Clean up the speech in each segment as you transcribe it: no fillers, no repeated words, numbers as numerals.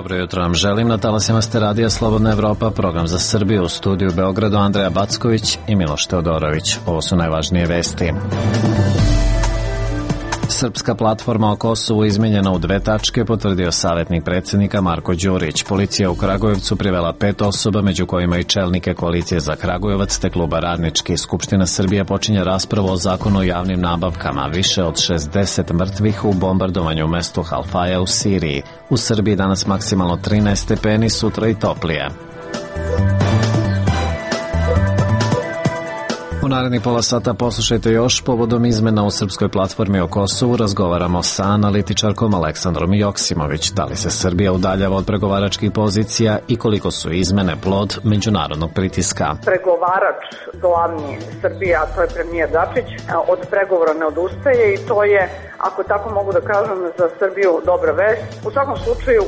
Dobro jutro vam želim. Na talasima ste Radija Slobodna Evropa, program za Srbiju, u studiju u Beogradu Andreja Backović i Miloš Teodorović. Ovo su najvažnije vesti. Srpska platforma o Kosovu izmenjena u 2 tačke, potvrdio savjetnik predsjednika Marko Đurić. Policija u Kragujevcu privela 5 osoba, među kojima i čelnike koalicije za Kragujevac te kluba Radnički. Skupština Srbije počinje raspravu o zakonu o javnim nabavkama. Više od 60 mrtvih u bombardovanju u mestu Halfaja u Siriji. U Srbiji danas maksimalno 13 stepeni, sutra i toplije. U narednih pola sata poslušajte još povodom izmena u Srpskoj platformi o Kosovu. Razgovaramo sa analitičarkom Aleksandrom Joksimović. Da li se Srbija udaljava od pregovaračkih pozicija i koliko su izmene plod međunarodnog pritiska? Pregovarač glavni Srbije, a to je premijer Dačić, od pregovora ne odustaje i to je, ako tako mogu da kažem, za Srbiju dobra vest. U svakom slučaju,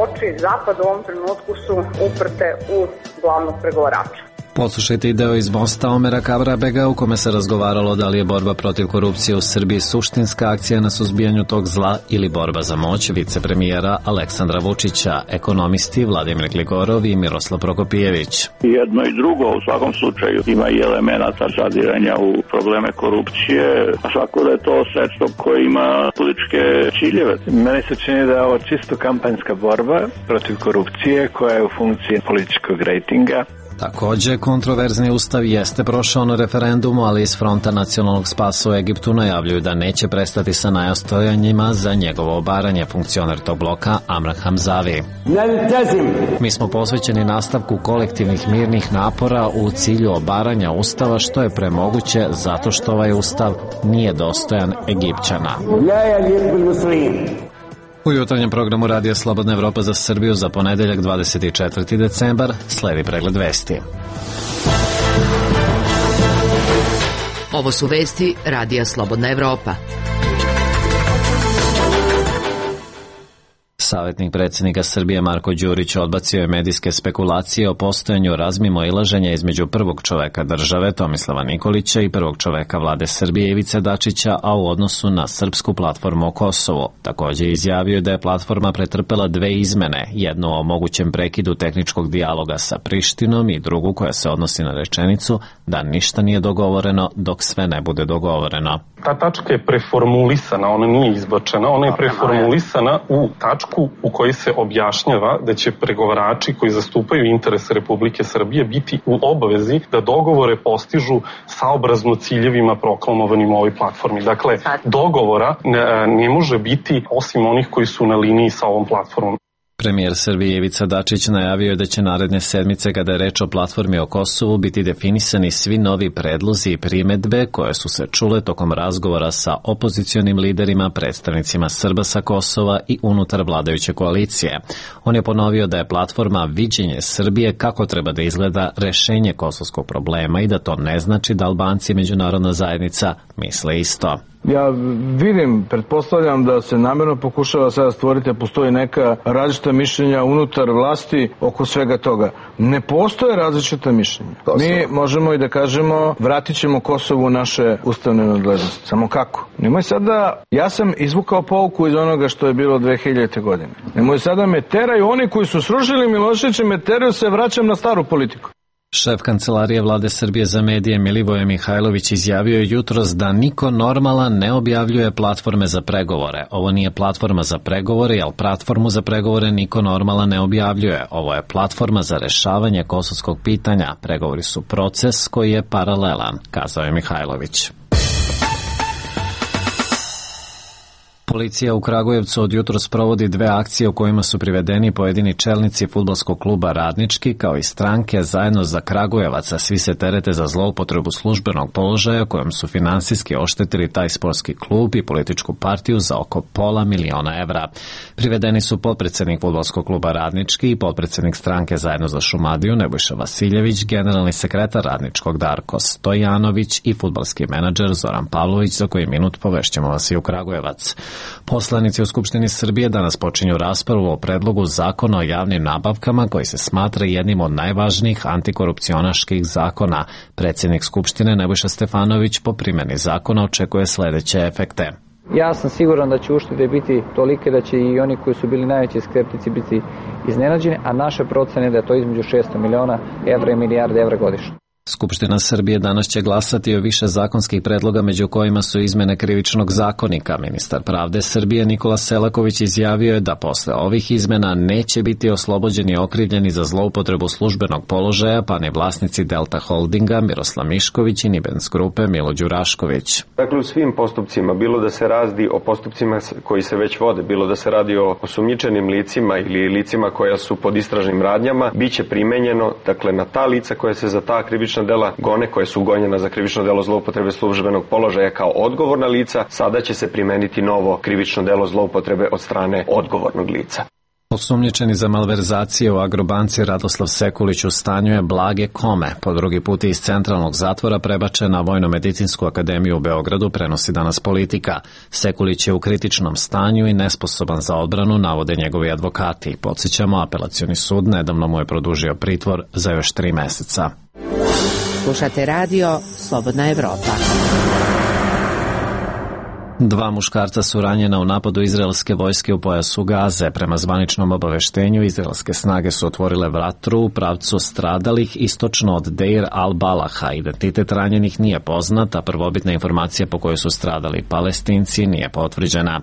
oči Zapada u ovom trenutku su uprte u glavnog pregovarača. Poslušajte i deo iz mosta Omera Kabrabega u kome se razgovaralo da li je borba protiv korupcije u Srbiji suštinska akcija na suzbijanju tog zla ili borba za moć vicepremijera Aleksandra Vučića, ekonomisti Vladimir Gligorov i Miroslav Prokopijević. Jedno i drugo u svakom slučaju ima i elemenata zadiranja u probleme korupcije, a svako da je to sredstvo koje ima političke ciljeve. Meni se čini da je ovo čisto kampanjska borba protiv korupcije koja je u funkciji političkog rejtinga. Također, kontroverzni ustav jeste prošao na referendumu, ali iz Fronta nacionalnog spasa u Egiptu najavljuju da neće prestati sa nastojanjima za njegovo obaranje, funkcioner tog bloka Amran Hamzavi. Mi smo posvećeni nastavku kolektivnih mirnih napora u cilju obaranja ustava, što je premoguće zato što ovaj ustav nije dostojan Egipćana. U jutarnjem programu Radija Slobodna Evropa za Srbiju za ponedeljak 24. decembar sledi pregled vesti. Ovo su vesti Radija Slobodna Evropa. Savjetnik predsjednika Srbije Marko Đurić odbacio je medijske spekulacije o postojanju razmimoilaženja između prvog čoveka države Tomislava Nikolića i prvog čoveka vlade Srbije Ivice Dačića, a u odnosu na Srpsku platformu o Kosovu. Također izjavio da je platforma pretrpela 2 izmene, jednu o mogućem prekidu tehničkog dijaloga sa Prištinom i drugu koja se odnosi na rečenicu da ništa nije dogovoreno dok sve ne bude dogovoreno. Ta tačka je preformulisana, ona nije izbačena, ona je preformulisana u tačku u kojoj se objašnjava da će pregovarači koji zastupaju interese Republike Srbije biti u obavezi da dogovore postižu saobrazno ciljevima proklamovanim u ovoj platformi. Dakle, dogovora ne može biti osim onih koji su na liniji sa ovom platformom. Premijer Srbije Ivica Dačić najavio je da će naredne sedmice, kada je reč o platformi o Kosovu, biti definisani svi novi predlozi i primedbe koje su se čule tokom razgovora sa opozicionim liderima, predstavnicima Srba sa Kosova i unutar vladajuće koalicije. On je ponovio da je platforma viđenje Srbije kako treba da izgleda rešenje kosovskog problema i da to ne znači da Albanci i međunarodna zajednica misle isto. Ja vidim, pretpostavljam da se namjerno pokušava sada stvoriti, postoji neka različita mišljenja unutar vlasti oko svega toga. Ne postoje različita mišljenja. Mi možemo i da kažemo vratit ćemo Kosovu u naše ustavne nadležnosti. Samo kako? Nemoj sada, ja sam izvukao pouku iz onoga što je bilo 2000. godine. Nemoj sada me teraju, oni koji su srušili Miloševića me teraju, se vraćam na staru politiku. Šef kancelarije vlade Srbije za medije Milivoje Mihajlović izjavio je jutros da niko normalan ne objavljuje platforme za pregovore. Ovo nije platforma za pregovore, jer platformu za pregovore niko normalan ne objavljuje. Ovo je platforma za rešavanje kosovskog pitanja. Pregovori su proces koji je paralelan, kazao je Mihajlović. Policija u Kragujevcu od jutros provodi 2 akcije u kojima su privedeni pojedini čelnici fudbalskog kluba Radnički kao i stranke Zajedno za Kragujevac, a svi se terete za zloupotrebu službenog položaja kojom su finansijski oštetili taj sportski klub i političku partiju za oko $500.000 evra. Privedeni su potpredsjednik fudbalskog kluba Radnički i potpredsjednik stranke Zajedno za Šumadiju Nebojša Vasiljević, generalni sekretar Radničkog Darko Stojanović i fudbalski menadžer Zoran Pavlović, za koji minut povešćemo vas i u Kragujevac. Poslanici u Skupštini Srbije danas počinju raspravu o predlogu zakona o javnim nabavkama koji se smatra jednim od najvažnijih antikorupcionaških zakona. Predsjednik Skupštine Nebojša Stefanović po primjeni zakona očekuje sljedeće efekte. Ja sam siguran da će uštede biti tolike da će i oni koji su bili najveći skeptici biti iznenađeni, a naše procene da je to između 600 miliona evra i milijarde evra godišnje. Skupština Srbije danas će glasati o više zakonskih predloga, među kojima su izmene Krivičnog zakonika. Ministar pravde Srbije Nikola Selaković izjavio je da posle ovih izmena neće biti oslobođeni okrivljeni za zloupotrebu službenog položaja, pa ni vlasnici Delta Holdinga Miroslav Mišković i Nibens Grupe Milo Đurašković. Dakle, u svim postupcima, bilo da se radi o postupcima koji se već vode, bilo da se radi o osumnjičenim licima ili licima koja su pod istražnim radnjama, biće primenjeno, dakle, na ta lica koja se za ta krivična dela gone, koje su gonjena za krivično delo zloupotrebe službenog položaja kao odgovorna lica, sada će se primeniti novo krivično delo zloupotrebe od strane odgovornog lica. Osumnjičeni za malverzacije u Agrobanci Radoslav Sekulić u stanju je blage kome. Po drugi put iz centralnog zatvora prebačen na Vojno-medicinsku akademiju u Beogradu, prenosi danas Politika. Sekulić je u kritičnom stanju i nesposoban za odbranu, navode njegovi advokati. Podsjećamo, apelacioni sud nedavno mu je produžio pritvor za još 3 meseca. Slušate radio Slobodna Evropa. 2 muškarca su ranjena u napadu izraelske vojske u pojasu Gaze. Prema zvaničnom obaveštenju, izraelske snage su otvorile vatru u pravcu stradalih istočno od Deir al-Balaha. Identitet ranjenih nije poznat, a prvobitna informacija po kojoj su stradali Palestinci nije potvrđena.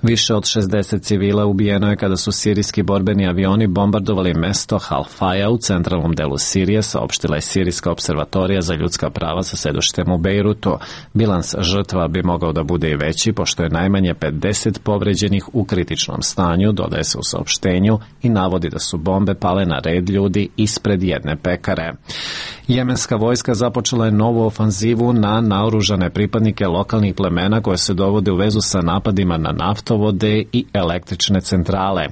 Više od 60 civila ubijeno je kada su sirijski borbeni avioni bombardovali mesto Halfaja u centralnom delu Sirije, saopštila je Sirijska observatorija za ljudska prava sa sedištem u Bejrutu. Bilans žrtva bi mogao da bude i veći, pošto je najmanje 50 povređenih u kritičnom stanju, dodaje se u saopštenju, i navodi da su bombe pale na red ljudi ispred jedne pekare. Jemenska vojska započela je novu ofanzivu na naoružane pripadnike lokalnih plemena koje se dovode u vezu sa napadima na naftovode i električne centrale.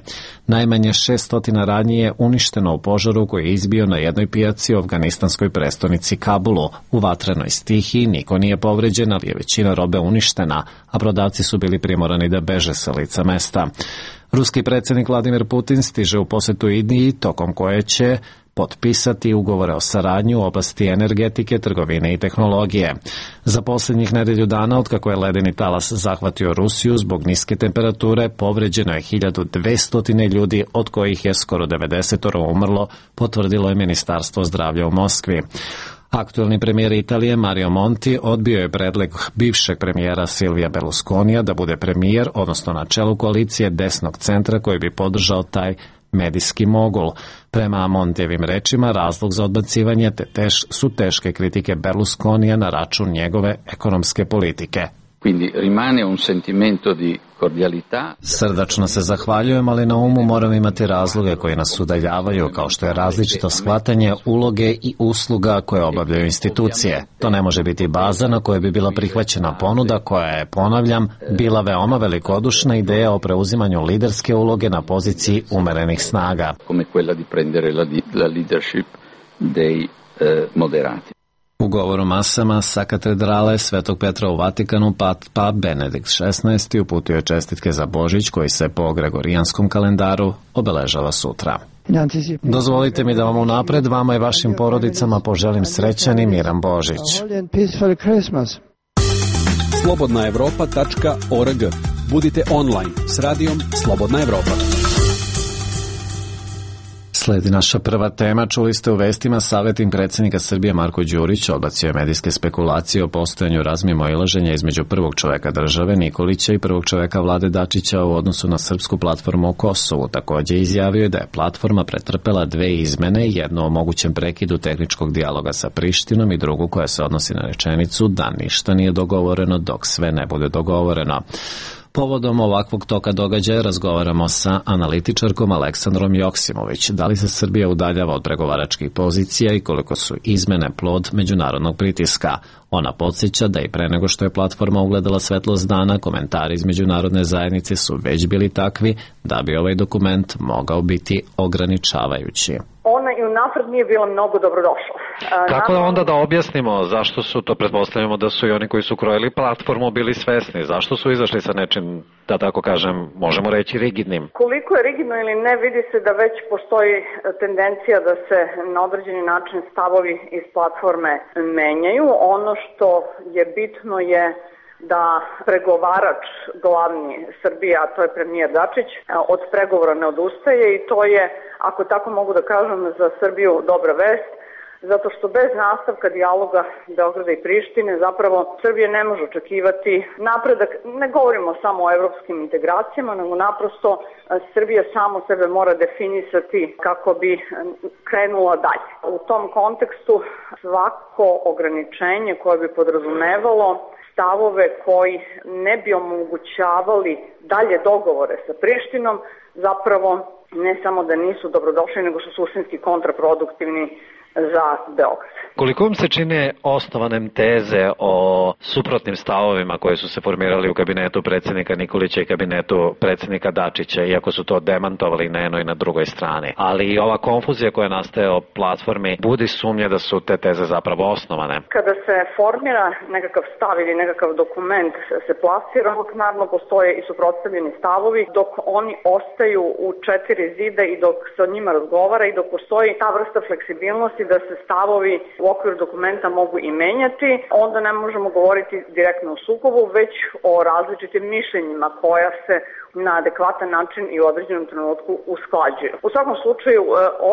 Najmanje 600 radnji je uništeno u požaru koji je izbio na jednoj pijaci u afganistanskoj prestonici Kabulu. U vatrenoj stihiji niko nije povređen, ali je većina robe uništena, a prodavci su bili primorani da beže sa lica mesta. Ruski predsjednik Vladimir Putin stiže u posetu Indiji, tokom koje će potpisati ugovore o saradnji u oblasti energetike, trgovine i tehnologije. Za posljednjih nedelju dana, otkako je ledeni talas zahvatio Rusiju, zbog niske temperature povređeno je 1200 ljudi, od kojih je skoro 90 umrlo, potvrdilo je Ministarstvo zdravlja u Moskvi. Aktuelni premijer Italije Mario Monti odbio je predlog bivšeg premijera Silvija Berlusconija da bude premijer, odnosno na čelu koalicije desnog centra koji bi podržao taj medijski mogul. Prema Montijevim rečima, razlog za odbacivanje su teške kritike Berlusconija na račun njegove ekonomske politike. Quindi rimane un sentimento di cordialità. Srdačno se zahvaljujem, ali na umu moram imati razloge koji nas udaljavaju, kao što je različito shvatanje uloge i usluga koje obavljaju institucije. To ne može biti baza na kojoj bi bila prihvaćena ponuda koja je, ponavljam, bila veoma velikodušna ideja o preuzimanju liderske uloge na poziciji umerenih snaga. Come quella di prendere la leadership dei moderati. U govoru masama sa katedrale Svetog Petra u Vatikanu Papa Benedikt XVI uputio je čestitke za Božić koji se po gregorijanskom kalendaru obeležava sutra. Dozvolite mi da vam unapred, vama i vašim porodicama poželim srećan i miran Božić. slobodnaevropa.org. Budite online s radijom Slobodna Evropa. Sledi naša prva tema. Čuli ste u vestima, savjetnik predsjednika Srbije Marko Đurić odbacio je medijske spekulacije o postojanju razmimoilaženja između prvog čoveka države Nikolića i prvog čoveka Vlade Dačića u odnosu na srpsku platformu u Kosovu. Također izjavio je da je platforma pretrpela 2 izmene, jednu o mogućem prekidu tehničkog dijaloga sa Prištinom i drugu koja se odnosi na rečenicu da ništa nije dogovoreno dok sve ne bude dogovoreno. Povodom ovakvog toka događaja razgovaramo sa analitičarkom Aleksandrom Joksimović. Da li se Srbija udaljava od pregovaračkih pozicija i koliko su izmene plod međunarodnog pritiska? Ona podsjeća da i pre nego što je platforma ugledala svetlost dana, komentari iz međunarodne zajednice su već bili takvi da bi ovaj dokument mogao biti ograničavajući. Ona i unapred nije bila mnogo dobrodošla. Kako onda da objasnimo zašto su to, pretpostavljamo da su i oni koji su krojili platformu bili svesni, zašto su izašli sa nečim, da tako kažem, možemo reći rigidnim? Koliko je rigidno ili ne, vidi se da već postoji tendencija da se na određeni način stavovi iz platforme menjaju. Ono što je bitno je da pregovarač glavni Srbije, a to je premijer Dačić, od pregovora ne odustaje i to je, ako tako mogu da kažem, za Srbiju dobra vest, zato što bez nastavka dijaloga Beograda i Prištine zapravo Srbija ne može očekivati napredak. Ne govorimo samo o evropskim integracijama, nego naprosto Srbija samo sebe mora definisati kako bi krenula dalje. U tom kontekstu svako ograničenje koje bi podrazumevalo stavove koji ne bi omogućavali dalje dogovore sa Prištinom, zapravo ne samo da nisu dobrodošli, nego su suštinski kontraproduktivni za Beograd. Koliko vam se čine osnovanem teze o suprotnim stavovima koje su se formirali u kabinetu predsjednika Nikolića i kabinetu predsjednika Dačića, iako su to demantovali na jednoj i na drugoj strani. Ali ova konfuzija koja nastaje o platformi budi sumnje da su te teze zapravo osnovane. Kada se formira nekakav stav ili nekakav dokument se plasira, naravno postoje i suprotstavljeni stavovi, dok oni ostaju u 4 zida i dok se o njima razgovara i dok postoji ta vrsta fleksibilnosti da se stavovi u okviru dokumenta mogu i menjati, onda ne možemo govoriti direktno o sukobu, već o različitim mišljenjima koja se na adekvatan način i u određenom trenutku usklađuju. U svakom slučaju,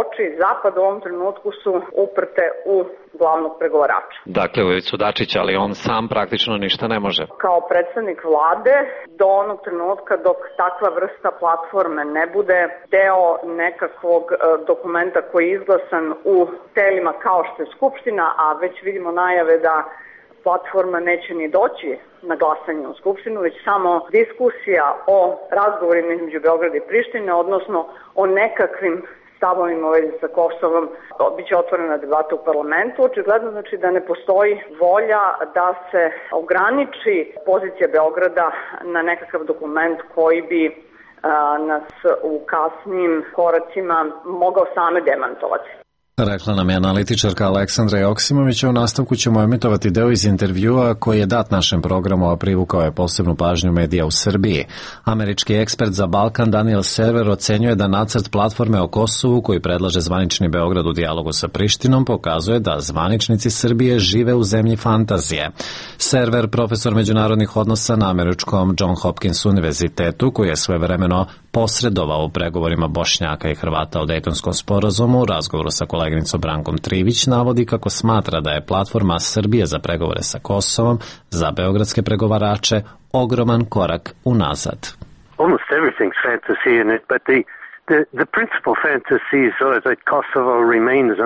oči Zapada u ovom trenutku su uprte u glavnog pregovarača. Dakle, u Ivicu Dačića, ali on sam praktično ništa ne može. Kao predsednik vlade, do onog trenutka dok takva vrsta platforme ne bude deo nekakvog dokumenta koji je izglasan u telima kao što je Skupština, a već vidimo najave da platforma neće ni doći na glasanje u Skupštinu, već samo diskusija o razgovorima između Beograda i Prištine, odnosno o nekakvim stavovima u vezi sa Kosovom, biće otvorena debata u parlamentu. Očigledno znači da ne postoji volja da se ograniči pozicija Beograda na nekakav dokument koji bi nas u kasnim koracima mogao same demantovati. Rekla nam je analitičarka Aleksandra Joksimović, a u nastavku ćemo emitovati deo iz intervjua koji je dat našem programu, a privukao je posebnu pažnju medija u Srbiji. Američki ekspert za Balkan Daniel Server ocenjuje da nacrt platforme o Kosovu koji predlaže zvanični Beograd u dijalogu sa Prištinom pokazuje da zvaničnici Srbije žive u zemlji fantazije. Server, profesor međunarodnih odnosa na američkom John Hopkins univerzitetu, koji je svojevremeno posredovao u pregovorima Bošnjaka i Hrvata o Dejtonskom sporazumu, u razgovoru sa koleginicom Brankom Trivić navodi kako smatra da je platforma Srbije za pregovore sa Kosovom za beogradske pregovarače ogroman korak unazad. Almost everything's fantasy in it, but the principal fantasy is that Kosovo remains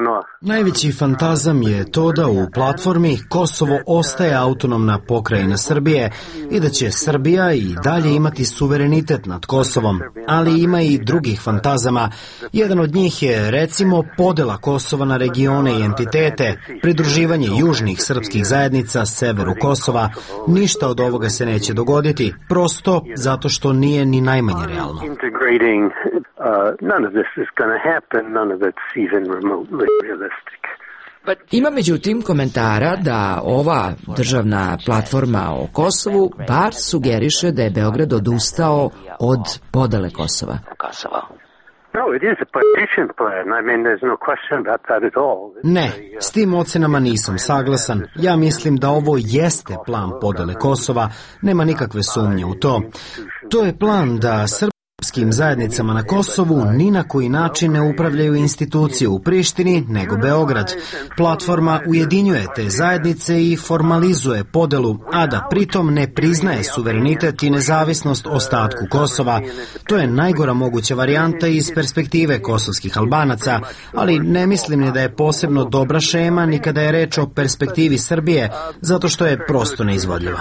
Najveći fantazam je to da u platformi Kosovo ostaje autonomna pokrajina Srbije i da će Srbija i dalje imati suverenitet nad Kosovom, ali ima i drugih fantazama. Jedan od njih je recimo podela Kosova na regione i entitete, pridruživanje južnih srpskih zajednica severu Kosova. Ništa od ovoga se neće dogoditi, prosto zato što nije ni najmanje realno. None of this is going to happen, none of it's even remotely realistic. Ima međutim komentara da ova državna platforma o Kosovu bar sugeriše da je Beograd odustao od podele Kosova. Ne, s tim ocenama nisam saglasan. Ja mislim da ovo jeste plan podele Kosova, nema nikakve sumnje u to. To je plan da srpskim zajednicama na Kosovu ni na koji način ne upravljaju institucije u Prištini, nego Beograd. Platforma ujedinjuje te zajednice i formalizuje podelu, a da pritom ne priznaje suverenitet i nezavisnost ostatku Kosova. To je najgora moguća varijanta iz perspektive kosovskih Albanaca, ali ne mislim ni da je posebno dobra šema ni kada je reč o perspektivi Srbije, zato što je prosto neizvodljiva.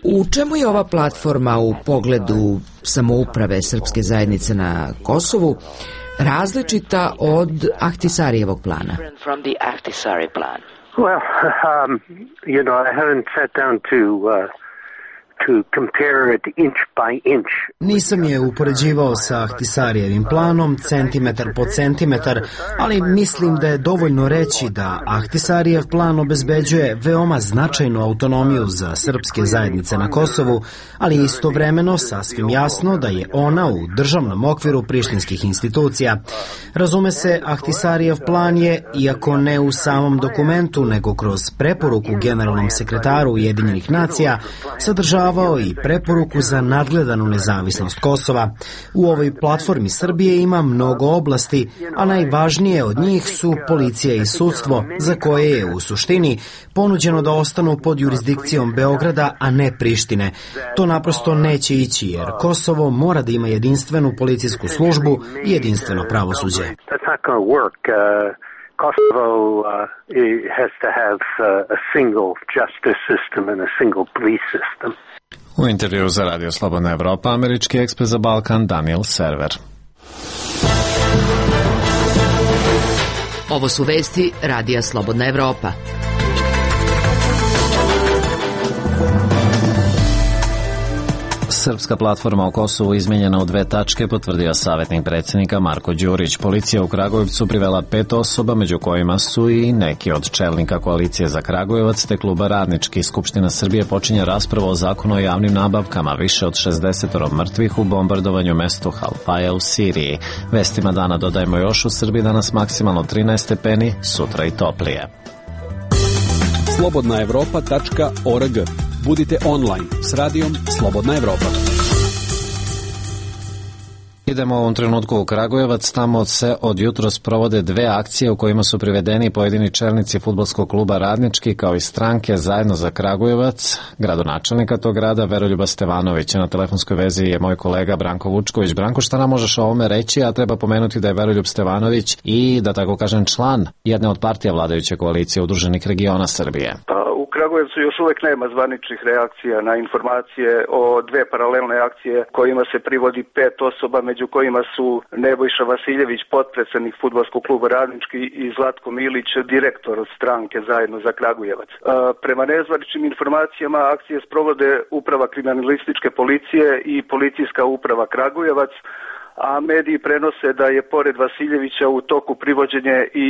U čemu je ova platforma u pogledu samouprave srpske zajednice na Kosovu različita od Ahtisarijevog plana? Well, I haven't sat down to compare it inch by inch. Nisam je upoređivao sa Ahtisarijevim planom, centimetar po centimetar, ali mislim da je dovoljno reći da Ahtisarijev plan obezbeđuje veoma značajnu autonomiju za srpske zajednice na Kosovu, ali istovremeno sasvim jasno da je ona u državnom okviru prištinskih institucija. Razume se, Ahtisarijev plan je, iako ne u samom dokumentu, nego kroz preporuku generalnom sekretaru Ujedinjenih nacija, sadržavao i preporuku za nadgledanu nezavisnost Kosova. U ovoj platformi Srbije ima mnogo oblasti, a najvažnije od njih su policija i sudstvo, za koje je u suštini ponuđeno da ostanu pod jurisdikcijom Beograda, a ne Prištine. To naprosto neće ići, jer Kosovo mora da ima jedinstvenu policijsku službu i jedinstveno pravosuđe. Kosovo has to have a single justice system and a single police system. U intervju za Radio Slobodna Evropa, američki ekspert za Balkan Daniel Server. Ovo su vesti Radija Slobodna Evropa. Srpska platforma o Kosovu izmenjena u 2 tačke, potvrdio savjetnik predsjednika Marko Đurić. Policija u Kragujevcu privela 5 osoba, među kojima su i neki od čelnika koalicije za Kragujevac te kluba Radnički. Skupština Srbije počinje raspravu o zakonu o javnim nabavkama, više od 60 mrtvih u bombardovanju mestu Halfaja u Siriji. Vestima dana dodajemo još, u Srbiji danas maksimalno 13 stepeni, sutra i toplije. slobodnaevropa.org. Budite online s radijom Slobodna Evropa. Idemo u ovom trenutku u Kragujevac, tamo se od jutros provode 2 akcije u kojima su privedeni pojedini čelnici fudbalskog kluba Radnički kao i stranke Zajedno za Kragujevac. Gradonačelnika tog grada Veroljuba Stevanovića. Na telefonskoj vezi je moj kolega Branko Vučković. Branko, šta nam možeš o ovome reći, a treba pomenuti da je Veroljub Stevanović i, da tako kažem, član jedne od partija vladajuće koalicije Udruženih regiona Srbije. U Kragujevcu još uvek nema zvaničnih reakcija na informacije o 2 paralelne akcije kojima se privodi 5 osoba, među kojima su Nebojša Vasiljević, potpredsednik fudbalskog kluba Radnički, i Zlatko Milić, direktor stranke Zajedno za Kragujevac. Prema nezvaničnim informacijama akcije sprovode Uprava kriminalističke policije i Policijska uprava Kragujevac, a mediji prenose da je pored Vasiljevića u toku privođenje i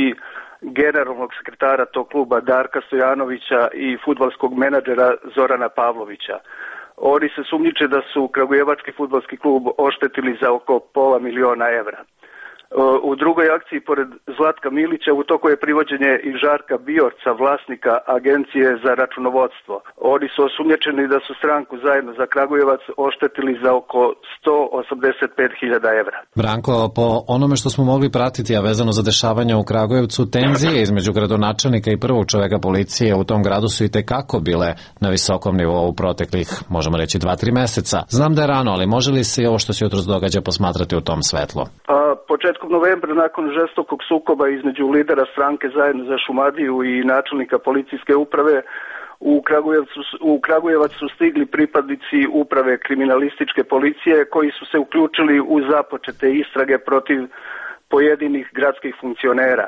generalnog sekretara tog kluba Darka Stojanovića i fudbalskog menadžera Zorana Pavlovića. Oni se sumnjiče da su Kragujevački fudbalski klub oštetili za oko $500.000 evra. U drugoj akciji, pored Zlatka Milića, u toku je privođenje i Žarka Biorca, vlasnika Agencije za računovodstvo. Oni su osumnjičeni da su stranku Zajedno za Kragujevac oštetili za oko $185.000 evra. Branko, po onome što smo mogli pratiti, a vezano za dešavanja u Kragujevcu, tenzije između gradonačelnika i prvog čoveka policije u tom gradu su i tekako bile na visokom nivou u proteklih, možemo reći, 2-3 meseca. Znam da je rano, ali može li se i ovo što se jutros događa posmatrati u tom svetlu? Početkom novembra, nakon žestokog sukoba između lidera stranke Zajedno za Šumadiju i načelnika policijske uprave, u Kragujevac su stigli pripadnici Uprave kriminalističke policije koji su se uključili u započete istrage protiv pojedinih gradskih funkcionera.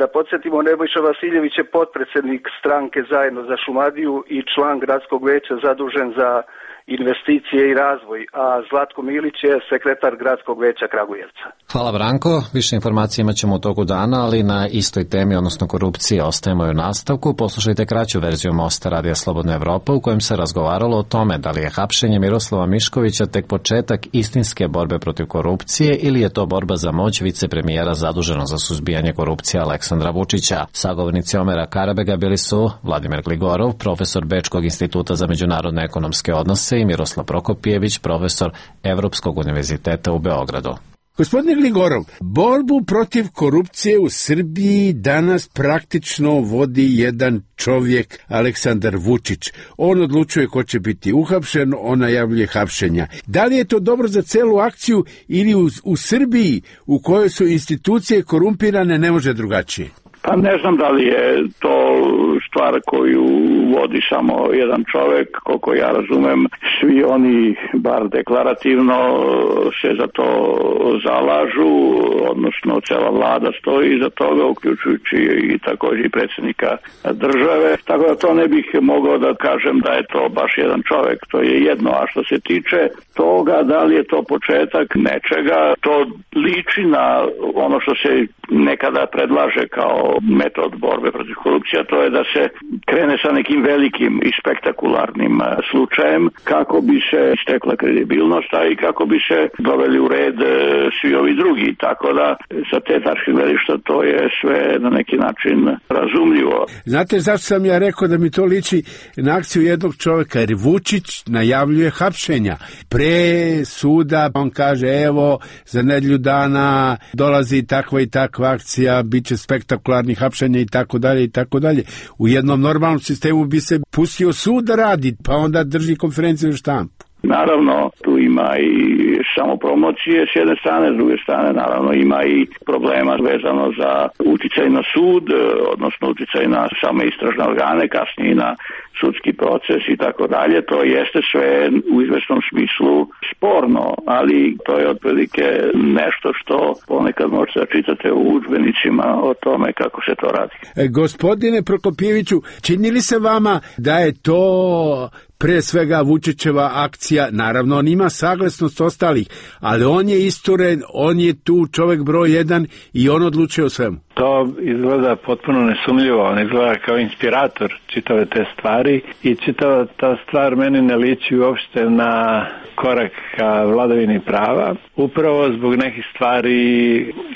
Da podsjetimo, Nebojša Vasiljević je potpredsednik stranke Zajedno za Šumadiju i član gradskog veća zadužen za investicije i razvoj, a Zlatko Milić je sekretar gradskog veća Kragujevca. Hvala, Branko. Više informacije imat ćemo u toku dana, ali na istoj temi, odnosno korupcije, ostajemo u nastavku. Poslušajte kraću verziju Mosta Radija Slobodna Evropa, u kojem se razgovaralo o tome da li je hapšenje Miroslava Miškovića tek početak istinske borbe protiv korupcije ili je to borba za moć vicepremijera zaduženog za suzbijanje korupcije Aleksandra Vučića. Sagovornici Omera Karabega bili su Vladimir Gligorov, profesor Bečkog instituta za međunarodne ekonomske odnose, i Miroslav Prokopijević, profesor Evropskog univerziteta u Beogradu. Gospodine Gligorov, borbu protiv korupcije u Srbiji danas praktično vodi jedan čovjek, Aleksandar Vučić. On odlučuje ko će biti uhapšen, on najavljuje hapšenja. Da li je to dobro za celu akciju ili u Srbiji, u kojoj su institucije korumpirane, ne može drugačije? Pa ne znam da li je to stvar koju vodi samo jedan čovek, koliko ja razumem, svi oni bar deklarativno se za to zalažu, odnosno cela vlada stoji iza toga, uključujući i takođe i predsjednika države, tako da to ne bih mogao da kažem da je to baš jedan čovek, to je jedno, a što se tiče toga da li je to početak nečega, to liči na ono što se nekada predlaže kao metod borbe protiv korupcije, to je da se krene sa nekim velikim i spektakularnim slučajem kako bi se istekla kredibilnost, a i kako bi se doveli u red svi ovi drugi, tako da sa te tačke gledišta to je sve na neki način razumljivo. Znate zašto sam ja rekao da mi to liči na akciju jednog čoveka, jer Vučić najavljuje hapšenja. Pre suda on kaže evo za nedelju dana dolazi takva i takva akcija, bit će spektakularnih hapšenja i tako dalje i tako dalje. U jednom normalnom sistemu bi se pustio sud da radi, pa onda drži konferenciju za štampu. Naravno, tu ima i samopromocije s jedne strane, s druge strane naravno ima i problema vezano za uticaj na sud, odnosno uticaj na same istražne organe, kasnije na sudski proces i tako dalje. To jeste sve u izvesnom smislu sporno, ali to je otprilike nešto što ponekad možete da čitate u udžbenicima o tome kako se to radi. Gospodine Prokopjeviću, čini li se vama da je to pre svega Vučićeva akcija, naravno on ima saglasnost ostalih, ali on je isturen, on je tu čovek broj jedan i on odlučuje o svemu. To izgleda potpuno nesumljivo, on izgleda kao inspirator čitave te stvari i čitava ta stvar meni ne liči uopšte na korak ka vladavini prava, upravo zbog nekih stvari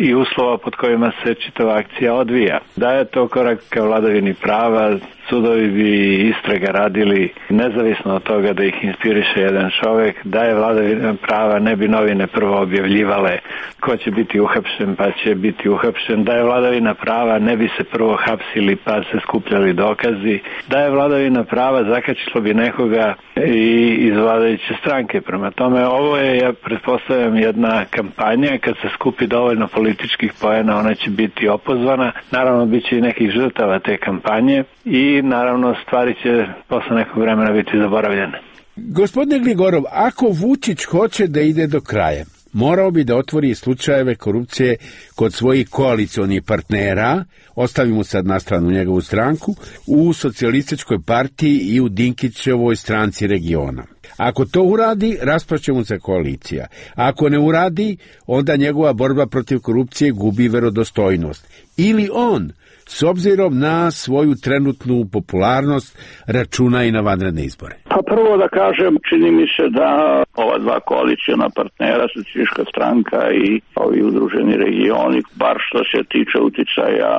i uslova pod kojima se čitava akcija odvija. Da je to korak ka vladavini prava, sudovi bi istraga radili nezavisno od toga da ih inspiriše jedan čovek, da je vladavina prava ne bi novine prvo objavljivale ko će biti uhapšen pa će biti uhapšen, da je vladavina prava ne bi se prvo hapsili pa se skupljali dokazi, da je vladavina prava zakačilo bi nekoga i iz vladajuće stranke. Prema tome ovo je, ja pretpostavljam, jedna kampanja, kad se skupi dovoljno političkih poena ona će biti opozvana, naravno bit će i nekih žrtava te kampanje i naravno stvari će posle nekog vremena biti zaboravljene. Gospodine Gligorov, ako Vučić hoće da ide do kraja, morao bi da otvori slučajeve korupcije kod svojih koalicionih partnera, ostavimo sad na stranu njegovu stranku, u socijalističkoj partiji i u Dinkićevoj stranci regiona. Ako to uradi, raspašće mu se koalicija. Ako ne uradi, onda njegova borba protiv korupcije gubi verodostojnost. Ili on, s obzirom na svoju trenutnu popularnost, računa i na vanredne izbore. Pa prvo da kažem, čini mi se da ova dva koalicijona partnera, Socijalistička stranka i ovi udruženi regioni, bar što se tiče uticaja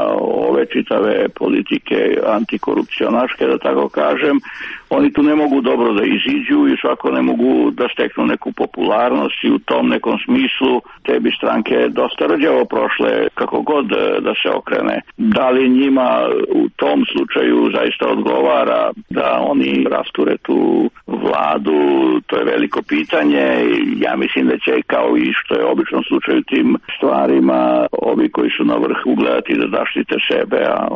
ove čitave politike antikorupcionaške, da tako kažem, oni tu ne mogu dobro da iziđu i svako ne mogu da steknu neku popularnost i u tom nekom smislu te bi stranke dosta rđavo prošle kako god da se okrene. Da li njima u tom slučaju zaista odgovara da oni rasture tu vladu, to je veliko pitanje. Ja mislim da će, kao i što je obično slučaj u tim stvarima, ovi koji su na vrhu gledati da zaštite sebe, a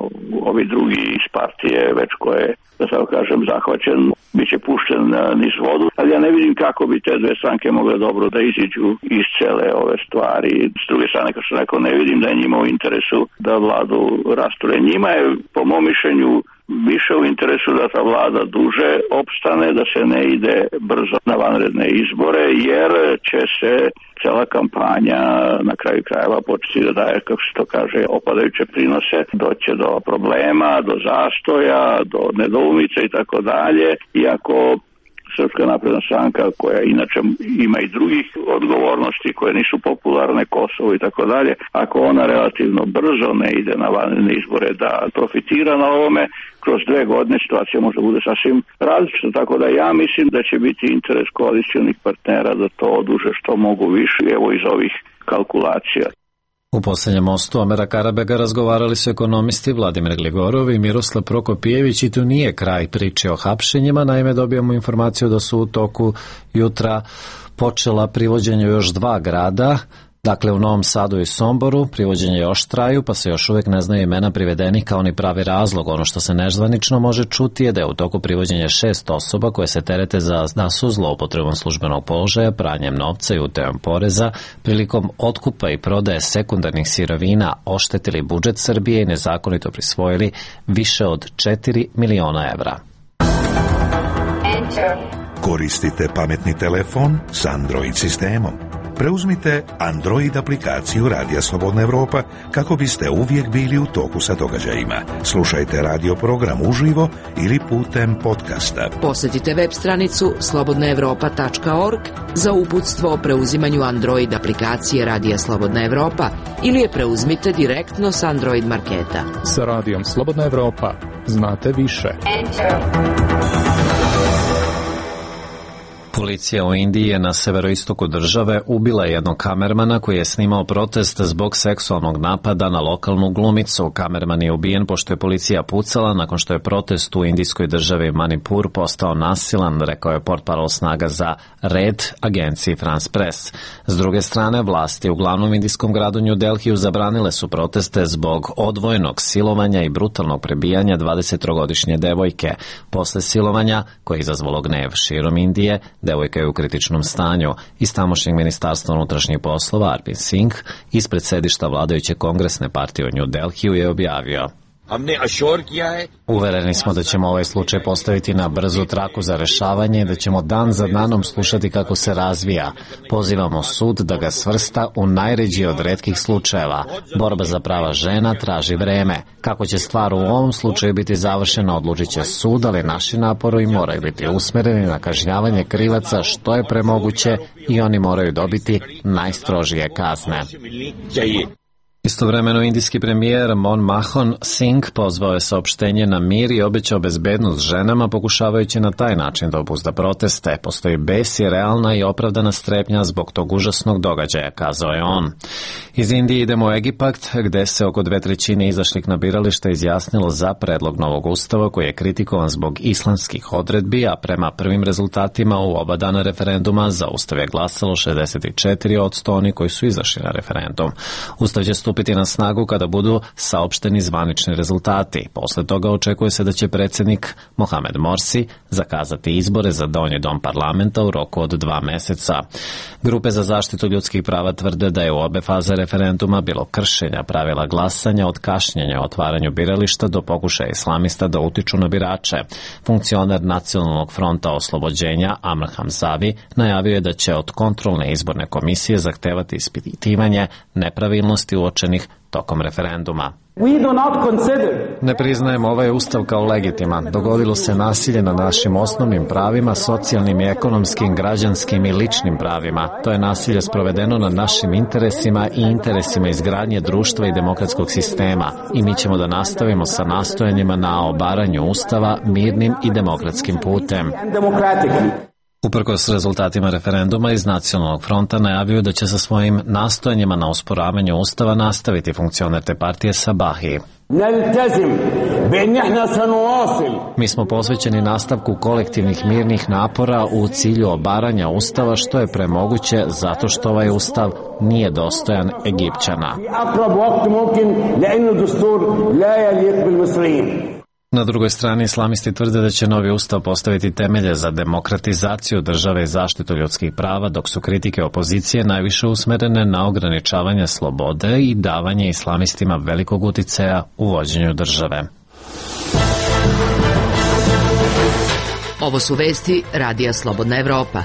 ovi drugi iz partije već koje, da tako kažem, zahvaćen, bit će pušten niz vodu. Ali ja ne vidim kako bi te dve stranke mogle dobro da iziđu iz cele ove stvari. S druge strane, kao što rekao, ne vidim da je njima u interesu da vladu rasture. Njima je, po mom mišljenju, više u interesu da ta vlada duže opstane, da se ne ide brzo na vanredne izbore, jer će se cela kampanja na kraju krajeva početi da daje, kako se to kaže, opadajuće prinose, doće do problema, do zastoja, do nedoumica i tako dalje. Iako Srpska napredna stranka, koja inače ima i drugih odgovornosti koje nisu popularne, Kosovo i tako dalje, ako ona relativno brzo ne ide na vanredne izbore da profitira na ovome, kroz 2 godine situacija može bude sasvim različita, tako da ja mislim da će biti interes koalicionih partnera da to oduže što mogu više, evo iz ovih kalkulacija. U posljednjem mostu Omera Karabega razgovarali su ekonomisti Vladimir Gligorov i Miroslav Prokopjević i tu nije kraj priče o hapšenjima, naime dobijamo informaciju da su u toku jutra počela privođenje još 2 grada, Dakle, u Novom Sadu i Somboru privođenje još traju, pa se još uvijek ne znaju imena privedenih kao ni pravi razlog. Ono što se nezvanično može čuti je da je u toku privođenja 6 osoba koje se terete da su zloupotrebom službenog položaja, pranjem novca i utajom poreza, prilikom otkupa i prodaje sekundarnih sirovina oštetili budžet Srbije i nezakonito prisvojili više od 4 miliona evra. Koristite pametni telefon s Android sistemom. Preuzmite Android aplikaciju Radija Slobodna Evropa kako biste uvijek bili u toku sa događajima. Slušajte radio program uživo ili putem podcasta. Posjetite web stranicu slobodnaevropa.org za uputstvo o preuzimanju Android aplikacije Radija Slobodna Evropa ili je preuzmite direktno s Android marketa. Sa Radijom Slobodna Evropa znate više. Policija u Indiji je na severoistoku države ubila jednog kamermana koji je snimao protest zbog seksualnog napada na lokalnu glumicu. Kamerman je ubijen pošto je policija pucala nakon što je protest u indijskoj državi Manipur postao nasilan, rekao je portparol snaga za red agenciji France Press. S druge strane, vlasti u glavnom indijskom gradu New Delhiju zabranile su proteste zbog odvojenog silovanja i brutalnog prebijanja 23-godišnje devojke. Posle silovanja, koje je izazvalo gnev širom Indije, devojka je u kritičnom stanju. Iz tamošnjeg ministarstva unutrašnjih poslova Arvind Singh ispred sedišta vladajuće kongresne partije u New Delhiju je objavio: Uvereni smo da ćemo ovaj slučaj postaviti na brzu traku za rešavanje i da ćemo dan za danom slušati kako se razvija. Pozivamo sud da ga svrsta u najređi od retkih slučajeva. Borba za prava žena traži vreme. Kako će stvar u ovom slučaju biti završena odlučit će sud, ali naši napori moraju biti usmereni na kažnjavanje krivaca što je premoguće i oni moraju dobiti najstrožije kazne. Istovremeno, indijski premijer Manmohan Singh pozvao je saopštenje na mir i obećao bezbednost ženama, pokušavajući na taj način da obuzda proteste. Postoji bes i realna i opravdana strepnja zbog tog užasnog događaja, kazao je on. Iz Indije idemo u Egipat, gde se oko 2/3 izašlih na birališta izjasnilo za predlog novog ustava koji je kritikovan zbog islamskih odredbi, a prema prvim rezultatima u oba dana referenduma za ustav je glasalo 64% oni koji su izašli na referendum. Ustav će stupiti na snagu kada budu saopšteni zvanični rezultati. Posle toga očekuje se da će predsjednik Mohamed Morsi zakazati izbore za donji dom parlamenta u roku od 2 meseca. Grupe za zaštitu ljudskih prava tvrde da je u obe faze referenduma bilo kršenja pravila glasanja, od kašnjenja o otvaranju birališta do pokušaja islamista da utiču na birače. Funkcioner Nacionalnog fronta oslobođenja Amr Hamzavi najavio je da će od kontrolne izborne komisije zahtevati ispitivanje nepravilnosti uočenih tokom referenduma. Ne priznajemo ovaj ustav kao legitiman. Dogodilo se nasilje nad našim osnovnim pravima, socijalnim i ekonomskim, građanskim i ličnim pravima. To je nasilje sprovedeno nad našim interesima i interesima izgradnje društva i demokratskog sistema. I mi ćemo da nastavimo sa nastojanjima na obaranju ustava mirnim i demokratskim putem. Uprkos rezultatima referenduma, iz Nacionalnog fronta najavio da će sa svojim nastojanjima na osporavanju ustava nastaviti funkcioner te partije Sabahi. Mi smo posvećeni nastavku kolektivnih mirnih napora u cilju obaranja ustava što je premoguće zato što ovaj ustav nije dostojan Egipćana. Na drugoj strani, islamisti tvrde da će novi ustav postaviti temelje za demokratizaciju države i zaštitu ljudskih prava, dok su kritike opozicije najviše usmerene na ograničavanje slobode i davanje islamistima velikog uticaja u vođenju države. Ovo su vesti Radija Slobodna Evropa.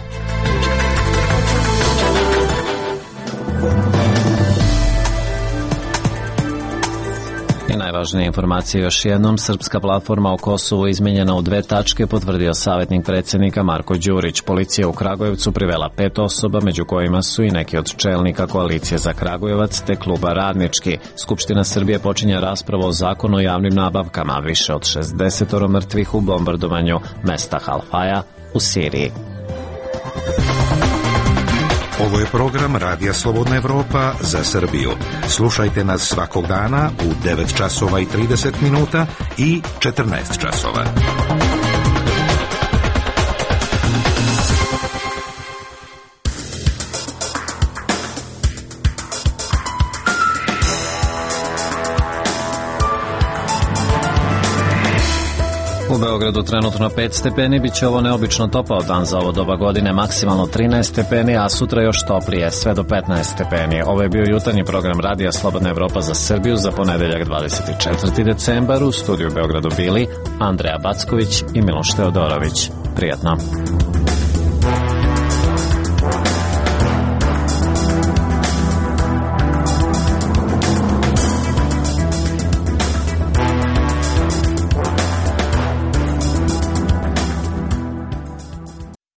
Najvažnije informacije još jednom. Srpska platforma o Kosovu izmenjena u 2 tačke, potvrdio savjetnik predsjednika Marko Đurić. Policija u Kragujevcu privela 5 osoba, među kojima su i neki od čelnika Koalicije za Kragujevac te kluba Radnički. Skupština Srbije počinje raspravu o zakonu o javnim nabavkama. Više od 60 mrtvih u bombardovanju mesta Halfaja u Siriji. Ovo je program Radija Slobodna Evropa za Srbiju. Slušajte nas svakog dana u 9 časova i 30 minuta i 14 časova. Beogradu trenutno 5 stepeni, bit će ovo neobično topao dan za ovo doba godine, maksimalno 13 stepeni, a sutra još toplije, sve do 15 stepeni. Ovo je bio jutarnji program Radija Slobodna Evropa za Srbiju za ponedeljak 24. decembar. U studiju u Beogradu bili Andreja Backović i Miloš Teodorović. Prijatno.